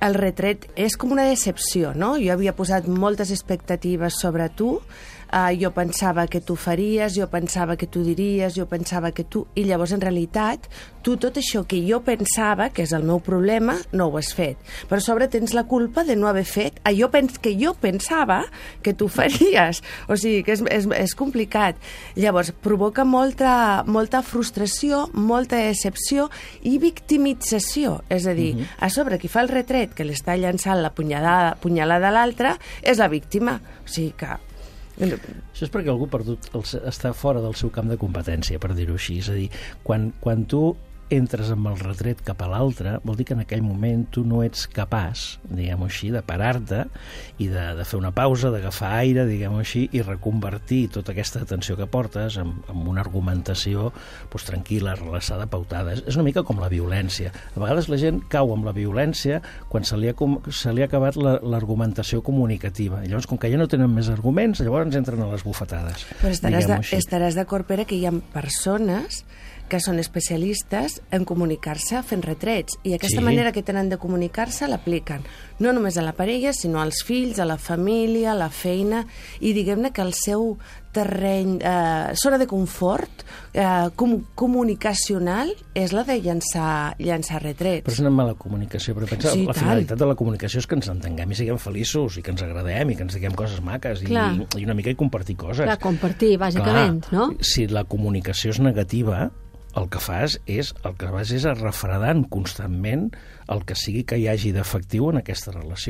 el retret és com una decepció, no? Jo havia posat moltes expectatives sobre tu, jo pensava que tu faries, jo pensava que tu diries, jo pensava que tu... I llavors, en realitat, tu tot això que jo pensava, que és el meu problema, no ho has fet. Però a sobre tens la culpa de no haver fet allò que jo pensava que tu faries. O sigui, que és complicat. Llavors, provoca molta frustració, molta decepció i victimització. És a dir, a sobre, qui fa el retret, que l'està llançant la punyalada a l'altre, és la víctima. O sigui que... Això és perquè algú està fora del seu camp de competència, per dir-ho així. És a dir, quan tu entres amb el retret cap a l'altre, vol dir que en aquell moment tu no ets capaç, diguem-ho així, de parar-te i de fer una pausa, d'agafar aire, diguem-ho així, i reconvertir tota aquesta atenció que portes en una argumentació tranquil·la, relaxada, pautada. És una mica com la violència. A vegades la gent cau amb la violència quan se li ha acabat l'argumentació comunicativa. I llavors, com que ja no tenen més arguments, llavors entren a les bufetades. Però estaràs d'acord, Pere, que hi ha persones que són especialistes en comunicar-se fent retrets, i aquesta manera que tenen de comunicar-se l'apliquen no només a la parella, sinó als fills, a la família, a la feina, i diguem-ne que el seu terreny, zona de confort comunicacional és la de llançar retrets. Però és una mala comunicació, però pensa, la finalitat de la comunicació és que ens entenguem i siguem feliços, i que ens agradem, i que ens diguem coses maques, i una mica i compartir coses. Clar, compartir, bàsicament, no? Si la comunicació és negativa, el que fas és refredant constantment el que sigui que hi hagi d'efectiu en aquesta relació.